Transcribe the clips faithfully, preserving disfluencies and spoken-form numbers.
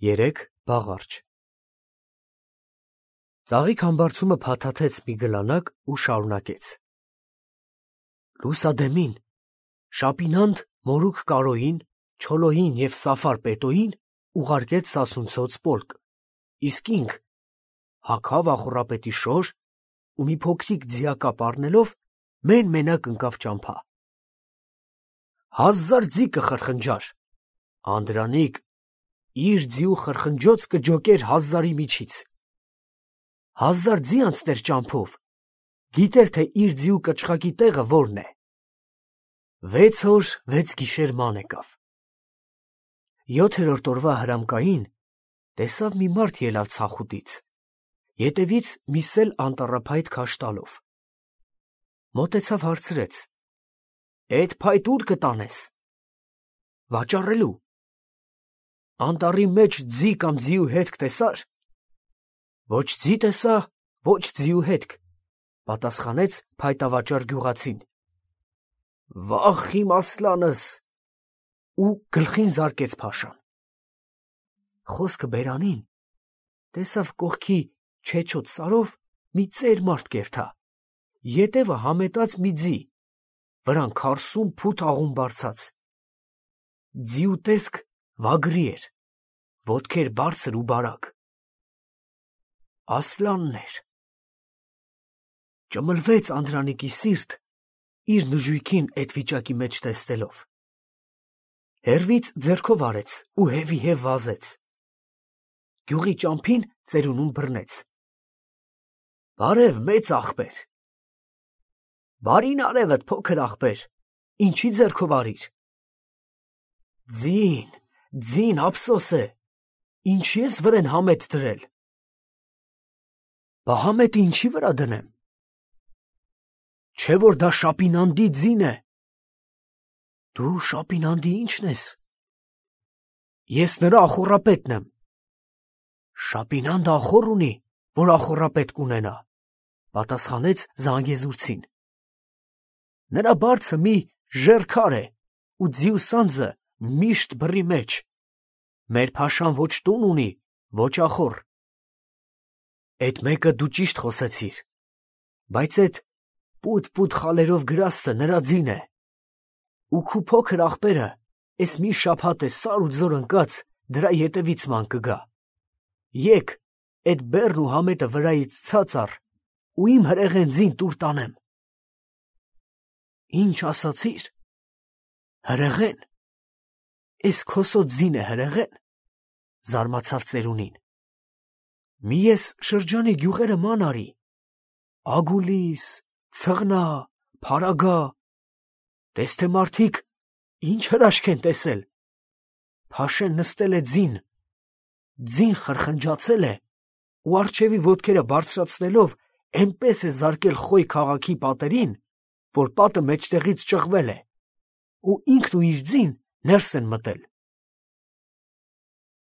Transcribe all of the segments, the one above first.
Երեք բաղարջ։ Ծաղիկ համբարձումը փաթաթեց մի գլանակ ու շարունակեց. Լուսադեմին, Շապինանդ Մորուք Կարոյին, Չոլոյին և Սաֆար Պետոյին ուղարկեց սասունցոց պոլկ, իսկ ինք հագավ ախոռապետի շոր ու մի փոքրիկ ձիակապ առնելով մեն֊մենակ ընկավ ճամփա։ Հազար ձի կխրխնջար, Անդրանիկ իր ձիու խրխնջոց կջոկեր հազարի միջից։ Հազար ձի անցներ ճամփով, գիտեր, թե իր ձիու կչխակի տեղը որն է։ Վեց օր, վեց գիշեր ման եկավ։ Յոթերորդ օրվա հրամկային տեսավ մի մարդ ելավ ցախուտից, ետևից մի սել անտառափայտ քաշ տալով։ Մոտեցավ հարցրեց. «Էդ փայտ ուր կտանես»։ «Վաճառելու»։ «Անտառի մեջ ձի կամ ձիու հետք տեսա՞ր»։ «Ոչ ձի տեսա, ոչ ձիու հետք», պատասխանեց փայտավաճառ գյուղացին։ «Վախ իմ ասլանս», ու գլխին զարկեց փաշան։ Խոսքը բերանին տեսավ կողքի չեչոտ սարով մի ծեր մարդ կերթա, ետևը համետած մի ձի, վրան քարսուն փութ աղուն բարձած։ Ձիու տեսք վագրի էր, ոտքեր բարձր ու բարակ։ Ասլանն էր։ Ճմլվեց Անդրանիկի սիրտ, իր նժույգին էդ վիճակի մեջ տեսնելով։ Հեռվից ձեռքով արեց ու հևիհև վազեց։ Գյուղի ճամփին ծերունուն բռնեց։ «Բարև, մեծ ախպեր»։ «Բարին արևդ, փոքր ախպեր, ինչի ձեռքով արիր»։ «Ձին, ձին, ափսոս է, ինչի ես վրեն համետ դրել»։ «Բա համետը ինչի վրա դնեմ»։ «Չէ՞ որ դա Շապինանդի ձին է»։ «Դու Շապինանդի ի՞նչն ես»։ «Ես նրա ախոռապետն եմ»։ «Շապինանդը ախոռ ունի, որ ախոռապետ կունենա», պատասխանեց զանգեզուրցին։ «Նրա բարձը մի ժեռ քար է ու ձիու սանձը միշտ բռի մեջ։ Մեր փաշան ոչ տուն ունի, ոչ ախոռ»։ «Էդ մեկը դու ճիշտ խոսեցիր, բայց էդ պութ֊պութ խալերով գրաստը նրա ձին է, ու քու փոքր ախպերը էս մի շաբաթ է սար ու ձոր ընկած դրա ետևից ման կգա։ Եկ, էդ բեռն ու համետը վրայից ցած առ ու իմ հրեղեն ձին տուր տանեմ»։ «Ինչ ասացիր»։ «Հրեղեն»։ «Էս քոսոտ ձին է հրեղեն»։ Զարմացավ ծերունին։ «Մի ես շրջանի գյուղերը ման արի, Ագուլիս, Ցղնա, Փարագա, տես թե մարդիկ ինչ հրաշք են տեսել։ Փաշեն նստել է ձին, ձին խրխնջացել է ու առջևի ոտքերը բարձրացնելով էնպես է զարկել Խոյ քաղաքի պատերին, որ պատը մեջտեղից ճղվել է, ու ինքն ու իր ձին ներս են մտել։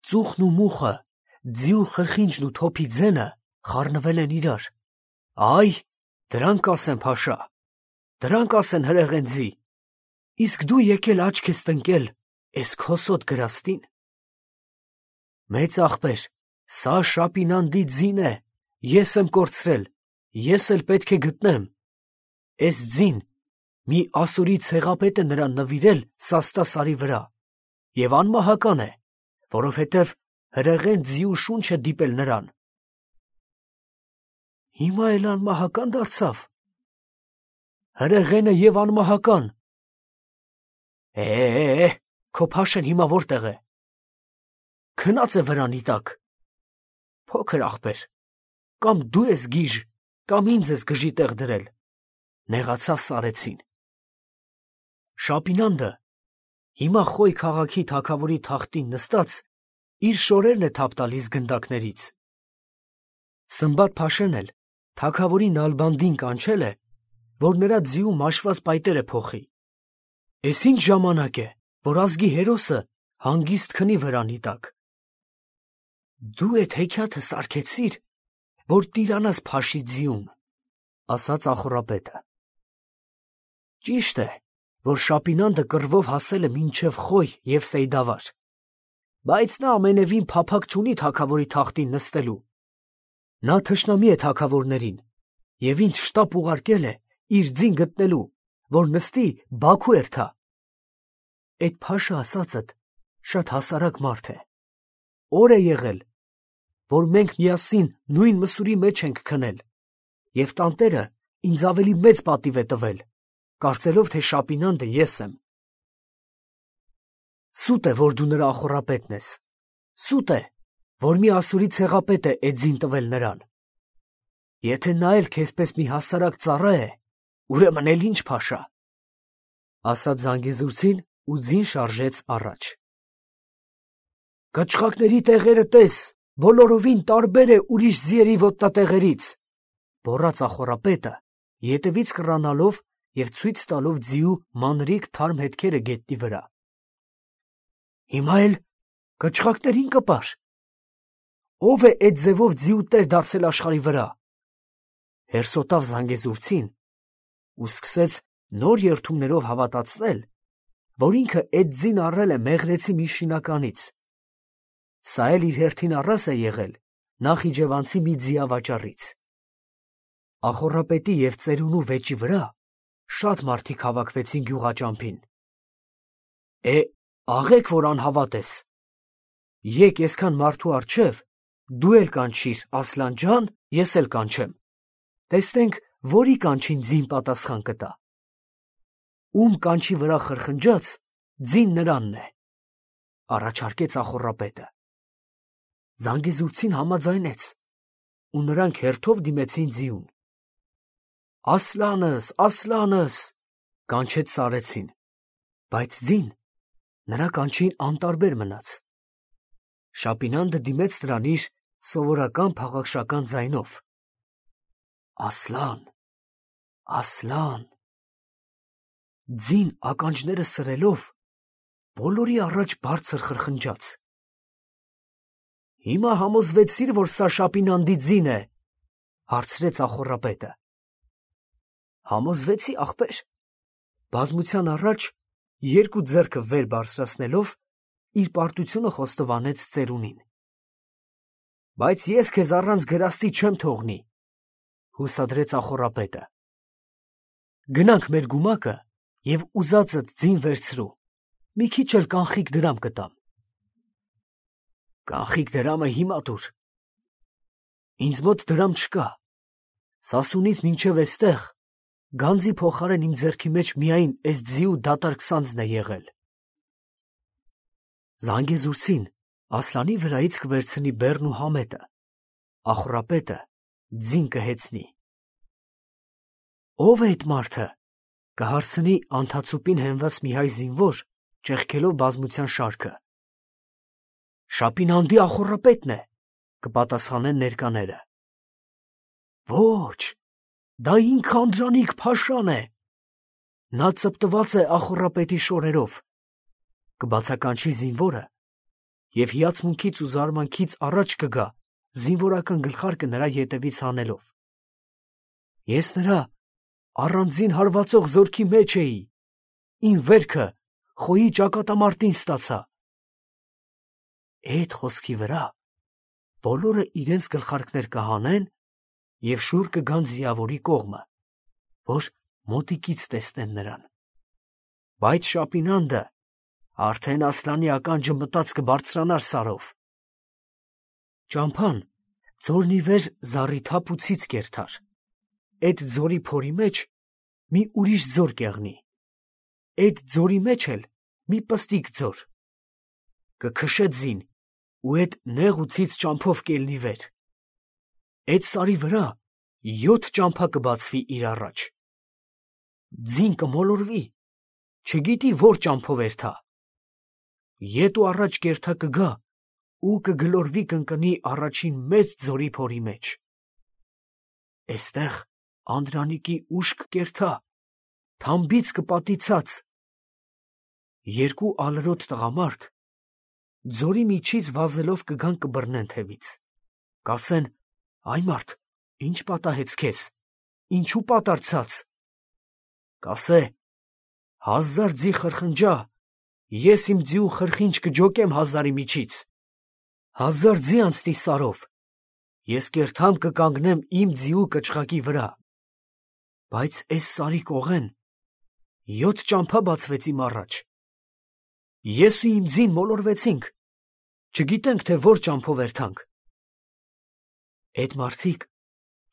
Ծուխն ու մուխը, ձիու խրխինջն ու թոփի ձենը խառնվել են իրար։ Այ, դրանք ասեն փաշա, դրանք ասեն հրեղեն ձի, իսկ դու եկել աչք ես տնկել էս քոսոտ գրաստին»։ «Մեծ ախպեր, սա Շապինանդի ձին է, ես եմ կորցրել, ես էլ պետք է գտնեմ։ Էս ձին մի ասորի ցեղապետ է նրան նվիրել Սաստա սարի վրա, և անմահական է, որովհետև հրեղեն ձիու շունչ է դիպել նրան»։ «Հիմա էլ անմահակա՞ն դարձավ»։ «Հրեղենը և անմահական»։ «Է, քո փաշեն հիմա որտեղ է»։ «Քնած է վրանի տակ»։ «Փոքր ախպեր, կամ դու ես գիժ, կամ ինձ ես գժի տեղ դրել», նեղացավ սարեցին։ Շապինանդը հիմա Խոյ քաղաքի թագավորի թախտին նստած իր շորերն է թափ տալիս գնդակներից։ Սմբատ-փաշեն էլ թագավորի նալբանդին կանչել է, որ նրա ձիու մաշված պայտերը փոխի։ Էս ինչ ժամանակ է, որ ազգի հերոսը հանգիստ քնի վրանի տակ։ «Դու էդ հեքիաթը սարքեցիր, որ տիրանաս փաշի ձիուն», ասաց ախոռապետը։ «Ճիշտ է, որ Շապինանդը կռվով հասել է մինչև Խոյ և Սեյդավար, բայց նա ամենևին փափակ չունի թագավորի թախտին նստելու։ Նա թշնամի է թագավորներին և ինձ շտապ ուղարկել է իր ձին գտնելու, որ նստի Բաքու էրթա։ Էդ փաշը ասածդ շատ հասարակ մարդ է։ Օր է եղել, որ մենք միասին նույն մսուրի մեջ ենք քնել, և տանտերը ինձ ավելի մեծ պատիվ է տվել, կարծելով, թե Շապինանդը ես եմ։ Սուտ է, որ դու նրա ախոռապետն ես, սուտ է, որ մի ասուրի ցեղապետ է էդ ձին տվել նրան։ Եթե նա էլ քեզպես մի հասարակ ծառա է, ուրեմն էլ ինչ փաշա, ասաց Զանգեզուրցին ու ձին շարժեց առաջ։ Կչխակների տեղերը տես, բոլորովին տարբեր է ուրիշ ձիերի ոտնատեղերից, գոռաց ախոռապետը, ետևից կռանալով և ցույց տալով ձիու մանրիկ թարմ հետքերը գետնի վրա։ Հիմա էլ կչխակներին կպար։ Ո՞վ է էդ ձևով ձիու տեր դարձել աշխարհի վրա։ Հերսոտավ Զանգեզուրցին ու սկսեց նոր երդումներով հավատացնել, որ ինքը էդ ձին առել է մեղրեցի մի շինականից։ Սա էլ իր հերթին առաս է եղել նախիջևանցի մի ձիավաճառից։ Ախոռապետի և ծերունու վեճի վրա շատ մարդիկ հավաքվեցին գյուղաճամփին։ Է, աղեք, որ անհավատ ես։ Եկ այսքան մարդու առջև դու էլ կանչիր Ասլան ջան, ես էլ կանչեմ։ Տեսնենք, որի կանչին ձին պատասխան կտա։ Ում կանչի վրա խրխնջաց, ձին նրանն է, առաջարկեց ախոռապետը։ Զանգեզուրցին համաձայնեց, ու նրանք հերթով դիմեցին ձիուն։ Ասլանս, Ասլանս, կանչեց սարեցին, բայց ձին նրա կանչին անտարբեր մնաց։ Շապինանդը դիմեց նրան իր սովորական փաղաքշական ձայնով. Ասլան, Ասլան։ Ձին ականջները սրելով բոլորի առաջ բարձր խրխնջաց։ Հիմա համոզվեցիր, որ սա Շապինանդի ձին է, հարցրեց ախոռապետը։ Համոզվեցի, ախպեր, բազմության առաջ երկու ձեռքը վեր բարձրացնելով իր պարտությունը խոստովանեց ծերունին։ Բայց ես քեզ առանց գրաստի չեմ թողնի, հուսադրեց ախոռապետը։ Գնանք մեր գումակը և ուզածդ ձին վերցրու, մի քիչ էլ կանխիկ դրամ կտամ։ Կանխիկ դրամը հիմա տուր։ Ինձ մոտ դրամ չկա, Սասունից մինչև էստեղ գանձի փոխարեն իմ ձեռքի մեջ միայն էս ձիու դատարկ սանձն է եղել։ Զանգեզուրցին Ասլանի վրայից կվերցնի բեռն ու համետը, ախոռապետը ձին կհեծնի։ Ո՞վ է այդ մարդը, կհարցնի անթացուպին հենված մի հայ զինվոր, ճեղքելով բազմության շարքը։ Շապինանդի ախոռապետն է, կպատասխանեն ներկաները։ Ոչ, դա ինքը Անդրանիկ Փաշան է։ Նա ծպտված է ախոռապետի շորերով, կբացականչի զինվորը և հիացմունքից ու զարմանքից առաջ կգա զինվորական գլխարկը նրա ետևից հանելով։ Ես նրա առանձին հարվածող զորքի մեջ էի, իմ վերքը խոյի ճակատամարտին ստացա։ Էդ խոսքի վրա բոլորը իրենց գլխարկներ կհանեն և շուռ կգան ձիավորի կողմը, որ մոտիկից տեսնեն նրան։ Բայց Շապինանդը արդեն Ասլանի ականջը մտած կբարձրանար սարով։ Ճամփան ձորն ի վեր զառիթափ ու ցից կերթար, էդ ձորի փորի մեջ մի ուրիշ ձոր կեղնի, էդ ձորի մեջ էլ մի պստիկ ձոր, կքշե ձին ու էդ նեղ ու ցից ճամփով կելնի վեր։ Էդ սարի վրա յոթ ճամփա կբացվի իր առաջ։ Ձին կմոլորվի, չգիտի որ ճամփով էրթա։ Ետ ու առաջ կերթա կգա ու կգլորվի կընկնի առաջին մեծ ձորի փորի մեջ։ Էստեղ Անդրանիկի ուշք կերթա, թամբից կպատի ցած։ Երկու ալրոտ տղամարդ ձորի միջից վազելով կգան կբռնեն թևից, կասեն. «Այ մարդ, ինչ պատահեց քեզ, ինչու պատառցած»։ Կասե. «Հազար ձի խրխնջա ես իմ ձիու խրխինչ կջոկեմ հազարի միջից, հազար ձի անցնի սարով, ես կերթամ կկանգնեմ իմ ձիու կչղակի վրա, բայց էս սարի կողեն յոթ ճամփա բացվեց իմ առաջ, ես ու իմ ձին մոլորվեցինք, չգիտենք, թե որ ճամփով էրթանք, էդ մարդիկ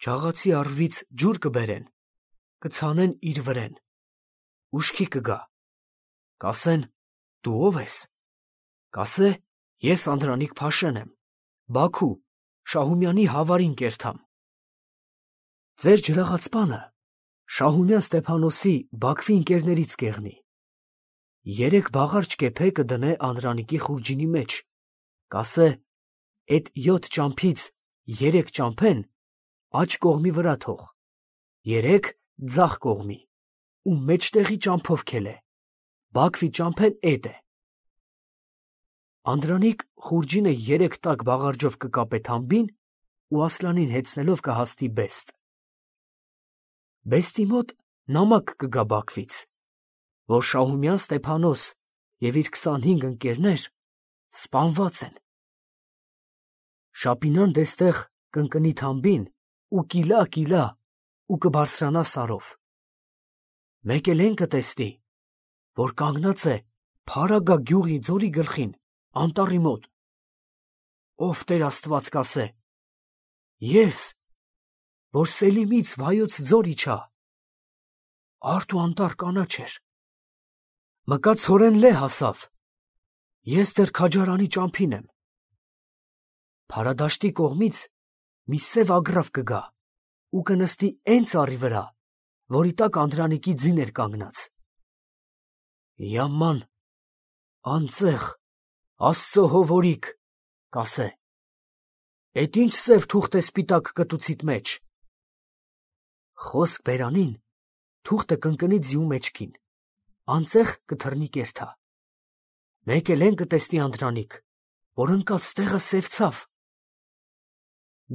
ջաղացի առվից ջուր կբերեն, կցանեն իր վրեն, ուշքի կգա, կասեն, դու ով ես, կասե, ես Անդրանիկ Փաշեն եմ, Բաքու, Շահումյանի Հավարին կերթամ, ձեր ջրաղացպանը Շահումյան Ստեփանոսի Բաքվի ընկերներից կեղնի, երեք բաղարջ կեփե կդնե Անդրանիկի խուրջինի մեջ, կասե, էդ յոթ ճամփից երեք ճամփեն աջ կողմի վրա թող, երեք ձախ կողմի, ու մեջտեղի ճամփով քելե, Բաքվի ճամփեն էդ է։ Անդրանիկ խուրջինը երեք տակ բաղարջով կկապե թամբին ու Ասլանին հեծնելով կհաստի Բեստ։ Բեստի մոտ նամակ կգա Բաքվից, որ Շահումյան Ստեփանոս և իր քսանհինգ ընկերներ սպանված են։ Շապինան դեստեղ կընկնի թամբին ու կիլա կիլա ու կբարձրանա սարով։ Մեկ էլ են կտեսնի, որ կանգնած է Փարագա գյուղի ձորի գլխին, անտառի մոտ։ Ով Տեր Աստված կասե, ես, որ Սելիմից Վայոց ձոր իջա, արդ ու անտառ կանաչ էր, մկա ցորեն լե հասավ, ես դեռ քաջարանի ճամփին եմ։ Փարադաշտի կողմից մի սև ագռավ կգա ու կնստի էն ծառի վրա, որի տակ Անդրանիկի ձին էր կանգնած։ Yaman, անձեղ, Աստծո հովորիկ, կասե, էդ ինչ սև թուղթ է սպիտակ կտուցիդ մեջ։ Խոսք բերանին, թուղթը կընկնի ձիու մեջքին, անձեղ կթռնի կերթա։ Մեկ էլ են կտեսնի Անդրանիկ, որ ընկած տեղը սևցավ։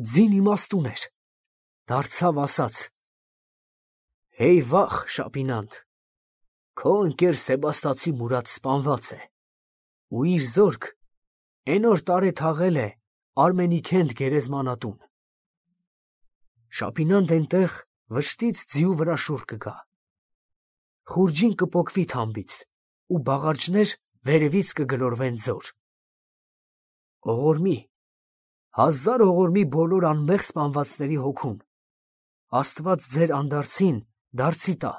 Ձին իմաստուն էր, դարձավ ասաց. Հեյ վախ, Շապինանդ, քո ընկեր Սեբաստացի Մուրադ սպանված է, ու իր զորք էն օր տարե թաղել է Արմենիքենդ գերեզմանատուն։ Շապինանդ էնտեղ վշտից ձիու վրա շուռ կգա։ Խուրջին կպոկվի թամբից, ու բաղարջներ վերևից կգլորվեն ձոր։ Ողորմի, հազար ողորմի բոլոր անմեղ սպանվածների հոգուն, Աստված ձեր անդարձին դարձի տա,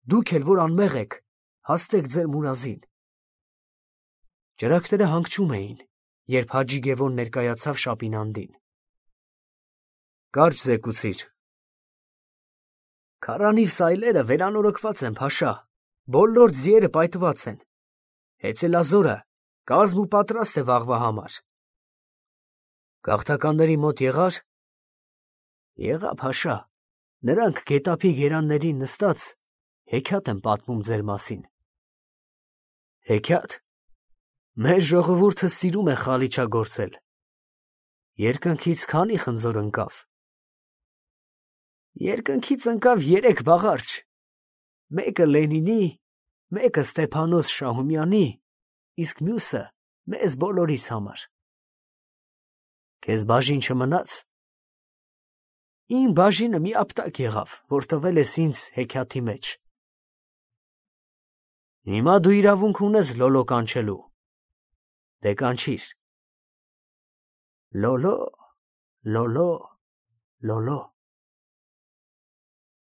դուք էլ որ անմեղ եք, հաստեք ձեր մուրազին։ Ճրագները հանգչում էին, երբ Հաջի Գևոն ներկայացավ Շապինանդին։ Կարճ զեկուցիր։ Քարանիվ սայլերը վերանորոգված են, Փաշա, բոլոր ձիերը պայթված են։ Հեծելազորը կազմ ու պատրաստ է վաղվա համար։ Գաղթականների մոտ եղար։ Եղա, Փաշա, նրանք գետափի գերաններին նստած հեքիաթ են պատմում ձեր մասին։ Հեքիաթ։ Մեր ժողովուրդը սիրում է խալիչագործել։ Երկնքից քանի խնձոր ընկավ։ Երկնքից ընկավ երեք բաղարջ, մեկը Լենինի, մեկը Ստեփանոս Շահումյանի, իսկ մյուսը մեզ բոլորիս համար։ Քեզ բաժին չմնաց։ Իմ բաժինը մի ապտակ եղավ, որ տվել ես ինձ հեքիաթի մեջ։ Հիմա դու իրավունք ունես լոլո կանչելու։ Դե կանչիր։ Լոլո, լոլո, լոլո։